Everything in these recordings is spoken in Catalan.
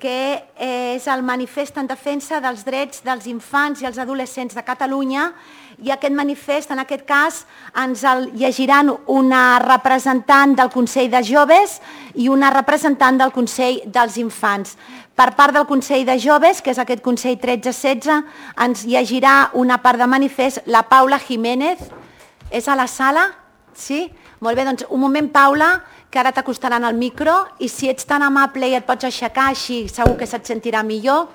que és el manifest en defensa dels drets dels infants i els adolescents de Catalunya, i aquest manifest, en aquest cas, ens el llegiran una representant del Consell de Joves i una representant del Consell dels Infants. Per part del Consell de Joves, que és aquest Consell 13-16, ens llegirà una part de manifest la Paula Jiménez. És a la sala? Sí? Molt bé, doncs un moment, Paula, que ara t'acostaran al micro, i si ets tan amable i et pots aixecar, així segur que se't sentirà millor.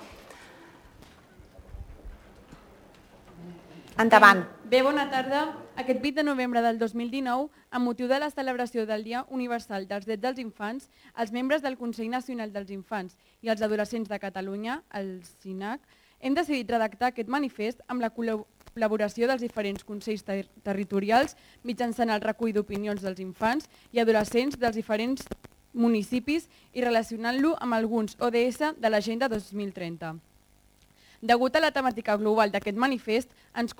Endavant. Bé, bona tarda. Aquest 8 de novembre del 2019, amb motiu de la celebració del Dia Universal dels Drets dels Infants, els membres del Consell Nacional dels Infants i els Adolescents de Catalunya, el CINAC, hem decidit redactar aquest manifest amb la col·laboració dels diferents consells territorials mitjançant el recull d'opinions dels infants i adolescents dels diferents municipis i relacionant-lo amb alguns ODS de l'Agenda 2030. Degut a la temàtica global d'aquest manifest, ens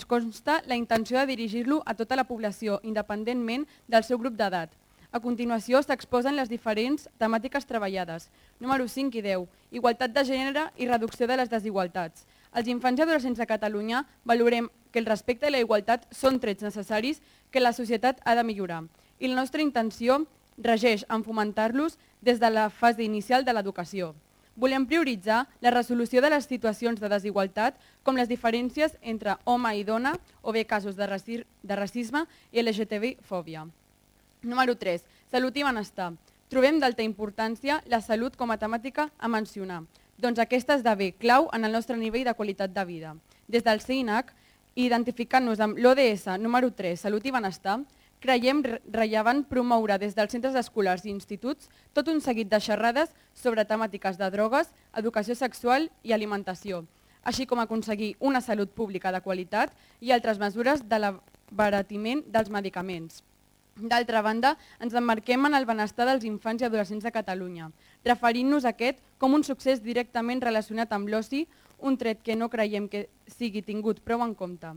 consta la intenció de dirigir-lo a tota la població, independentment del seu grup d'edat. A continuació s'exposen les diferents temàtiques treballades. Número 5 i 10. Igualtat de gènere i reducció de les desigualtats. Els infants i adolescents de Catalunya valorem que el respecte i la igualtat són trets necessaris que la societat ha de millorar. I la nostra intenció regeix en fomentar-los des de la fase inicial de l'educació. Volem prioritzar la resolució de les situacions de desigualtat com les diferències entre home i dona o bé casos de racisme i LGTB-fòbia. Número 3. Salut i benestar. Trobem d'alta importància la salut com a temàtica a mencionar, doncs aquesta esdevé clau en el nostre nivell de qualitat de vida. Des del CINAC, identificant-nos amb l'ODS número 3, Salut i Benestar, creiem rellevant promoure des dels centres escolars i instituts tot un seguit de xerrades sobre temàtiques de drogues, educació sexual i alimentació, així com aconseguir una salut pública de qualitat i altres mesures de l'abaratiment dels medicaments. D'altra banda, ens emmarquem en el benestar dels infants i adolescents de Catalunya, referint-nos a aquest com un succés directament relacionat amb l'oci, un tret que no creiem que sigui tingut prou en compte.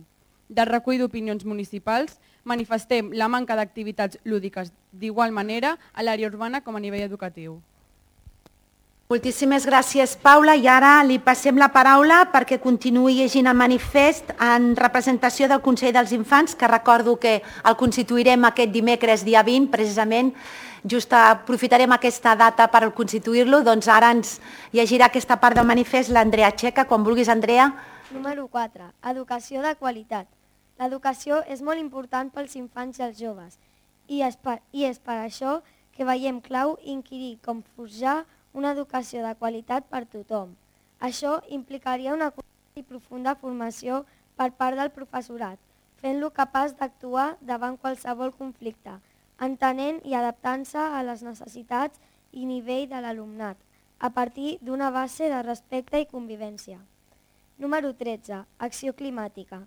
Del recull d'opinions municipals, manifestem la manca d'activitats lúdiques d'igual manera a l'àrea urbana com a nivell educatiu. Moltíssimes gràcies, Paula, i ara li passem la paraula perquè continuï llegint el manifest en representació del Consell dels Infants, que recordo que el constituirem aquest dimecres, dia 20, precisament. Just aprofitarem aquesta data per constituir-lo, doncs ara ens llegirà aquesta part del manifest l'Andrea Txeca. Quan vulguis, Andrea. Número 4. Educació de qualitat. L'educació és molt important pels infants i els joves i és per això que veiem clau inquirir com forjar una educació de qualitat per tothom. Això implicaria una i profunda formació per part del professorat, fent-lo capaç d'actuar davant qualsevol conflicte, entenent i adaptant-se a les necessitats i nivell de l'alumnat, a partir d'una base de respecte i convivència. Número 13. Acció climàtica.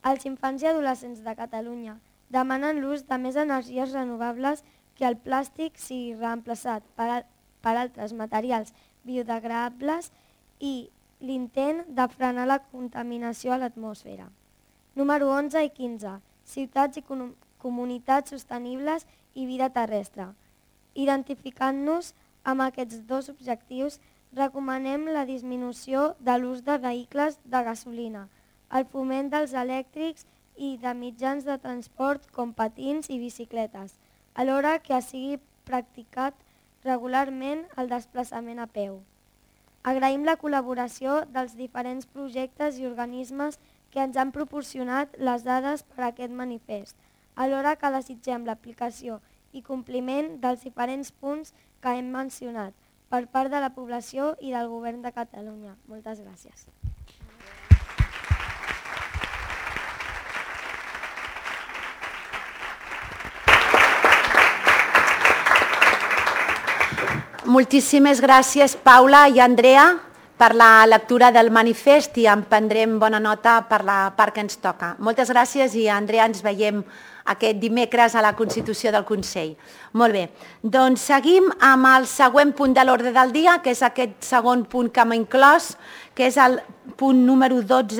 Els infants i adolescents de Catalunya demanen l'ús de més energies renovables que el plàstic sigui reemplaçat per altres materials biodegradables i l'intent de frenar la contaminació a l'atmosfera. Número 11 i 15. Ciutats i comunitats sostenibles i vida terrestre. Identificant-nos amb aquests dos objectius, recomanem la disminució de l'ús de vehicles de gasolina, el foment dels elèctrics i de mitjans de transport com patins i bicicletes, alhora que sigui practicat regularment el desplaçament a peu. Agraïm la col·laboració dels diferents projectes i organismes que ens han proporcionat les dades per a aquest manifest, alhora que desitgem l'aplicació i compliment dels diferents punts que hem mencionat per part de la població i del Govern de Catalunya. Moltes gràcies. Moltíssimes gràcies, Paula i Andrea, per la lectura del manifest i en prendrem bona nota per la part que ens toca. Moltes gràcies i, Andrea, ens veiem aquest dimecres a la Constitució del Consell. Molt bé, doncs seguim amb el següent punt de l'ordre del dia, que és aquest segon punt que hem inclòs, que és el punt número 12